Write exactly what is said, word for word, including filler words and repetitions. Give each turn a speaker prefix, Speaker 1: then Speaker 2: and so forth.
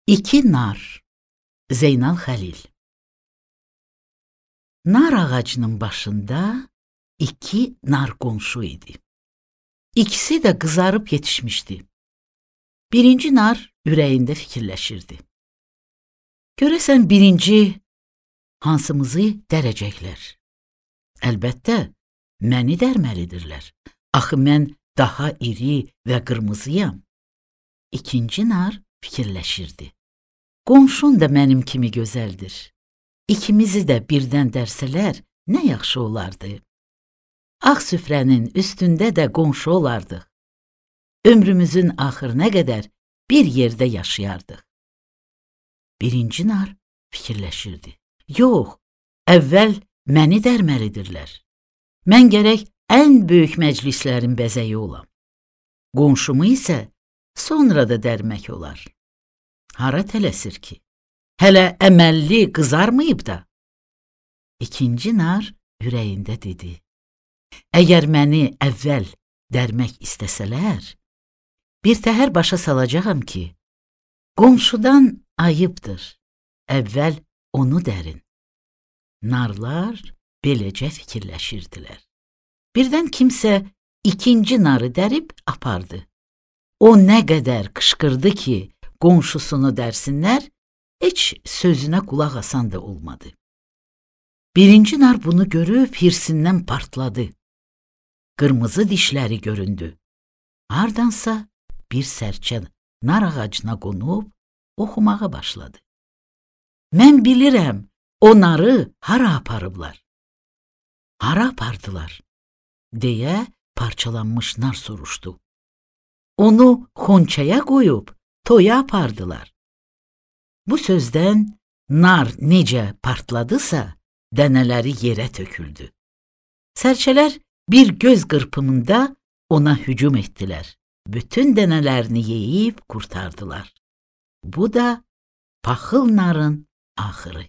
Speaker 1: İki nar. Zeynal Xəlil. Nar ağacının başında iki nar qonşu idi. İkisi də qızarıb yetişmişdi. Birinci nar ürəyində fikirləşirdi. Görəsən birinci hansımızı dərəcəklər? Əlbəttə, məni dərməlidirlər. Axı mən daha iri və qırmızıyam. İkinci nar fikirləşirdi. Qonşun da mənim kimi gözəldir. İkimizi də birdən dərsələr, nə yaxşı olardı. Ağ süfrənin üstündə də qonşu olardıq. Ömrümüzün axırına qədər bir yerdə yaşayardıq. Birinci nar fikirləşirdi. Yox, əvvəl məni dərməlidirlər. Mən gərək ən böyük məclislərin bəzəyi olam. Qonşumu isə sonra da dərmək olar. Hara tələsir ki? Hələ əməlli qızarmayıb da. İkinci nar ürəyində dedi. Əgər məni əvvəl dərmək istəsələr, bir təhər başa salacağam ki, qonşudan ayıbdır, əvvəl onu dərin. Narlar beləcə fikirləşirdilər. Birdən kimsə ikinci narı dərib apardı. O nə qədər qışqırdı ki, qonşusunu dərsinlər, heç sözünə qulaq asan da olmadı. Birinci nar bunu görüb hirsindən partladı. Qırmızı dişləri göründü. Hardansa bir sərçə nar ağacına qonub oxumağa başladı. Mən bilirəm, o narı hara aparıblar. Hara apardılar? Deyə parçalanmış nar soruşdu. Onu xonçaya qoyub toya apardılar. Bu sözdən nar necə partladısa, dənələri yerə töküldü. Sərçələr bir göz qırpımında ona hücum etdilər. Bütün dənələrini yeyib qurtardılar. Bu da paxıl narın axırı.